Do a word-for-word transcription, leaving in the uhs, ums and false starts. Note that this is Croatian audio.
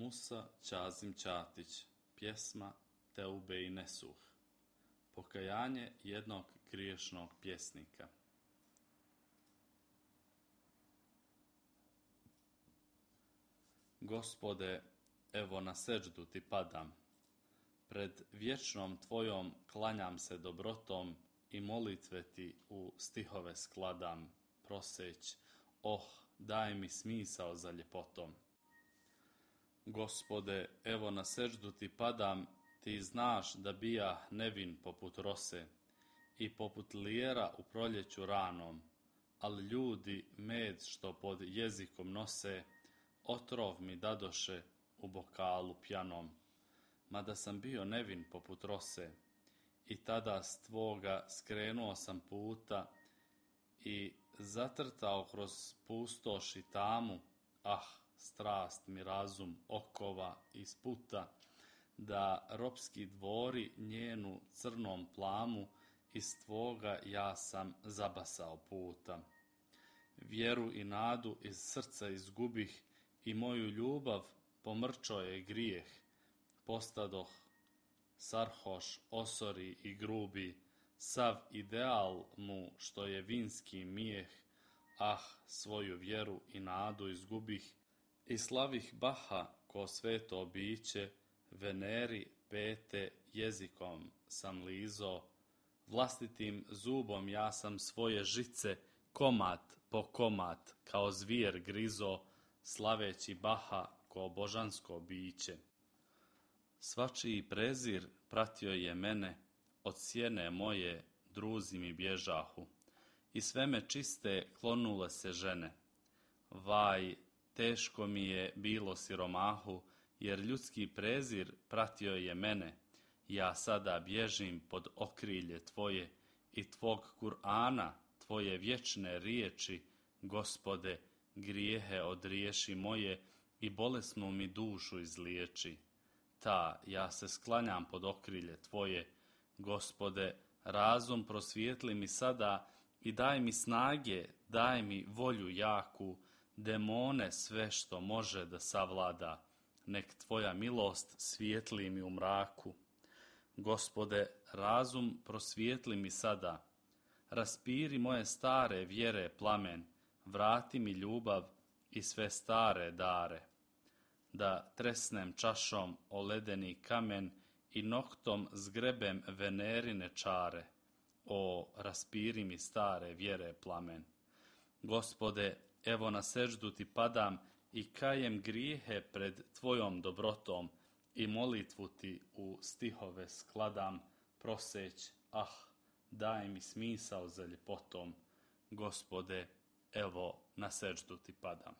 Musa Ćazim Ćatić, pjesma Teube i Nesuh, pokajanje jednog griješnog pjesnika. Gospode, evo na seđdu ti padam, pred vječnom tvojom klanjam se dobrotom i molitve ti u stihove skladam, proseć, oh, daj mi smisao za ljepotom. Gospode, evo na seđdu ti padam, ti znaš da bija nevin poput rose i poput lijera u proljeću ranom, ali ljudi med što pod jezikom nose, otrov mi dadoše u bokalu pjanom. Mada sam bio nevin poput rose i tada s tvoga skrenuo sam puta i zatrtao kroz pustoš i tamu, ah, strast mi razum okova i sputa, da ropski dvori njenu crnom plamu iz tvoga ja sam zabasao puta. Vjeru i nadu iz srca izgubih i moju ljubav pomrčo je grijeh. Postadoh sarhoš, osori i grubi, sav ideal mu što je vinski mijeh, ah, svoju vjeru i nadu izgubih i slavih Baha ko sveto biće, Veneri pete jezikom sam lizo, vlastitim zubom ja sam svoje žice komad po komad kao zvijer grizo, slaveći Baha ko božansko biće. Svačiji prezir pratio je mene, od sjene moje druzi mi bježahu, i sve me čiste klonule se žene. Vaj, teško mi je bilo siromahu, jer ljudski prezir pratio je mene, ja sada bježim pod okrilje tvoje i tvog Kur'ana, tvoje vječne riječi, Gospode, grijehe odriješi moje i bolesnu mi dušu izliječi. Ta, ja se sklanjam pod okrilje tvoje, Gospode, razum prosvijetli mi sada i daj mi snage, daj mi volju jaku, demone sve što može da savlada, nek tvoja milost svijetli mi u mraku. Gospode, razum prosvijetli mi sada, raspiri moje stare vjere plamen, vrati mi ljubav i sve stare dare, da tresnem čašom o ledeni kamen i noktom zgrebem Venerine čare, o, raspiri mi stare vjere plamen. Gospode, evo na seđdu ti padam i kajem grijehe pred tvojom dobrotom i molitvu ti u stihove skladam, proseć, ah, daj mi smisao za ljepotom. Gospode, evo na seđdu ti padam.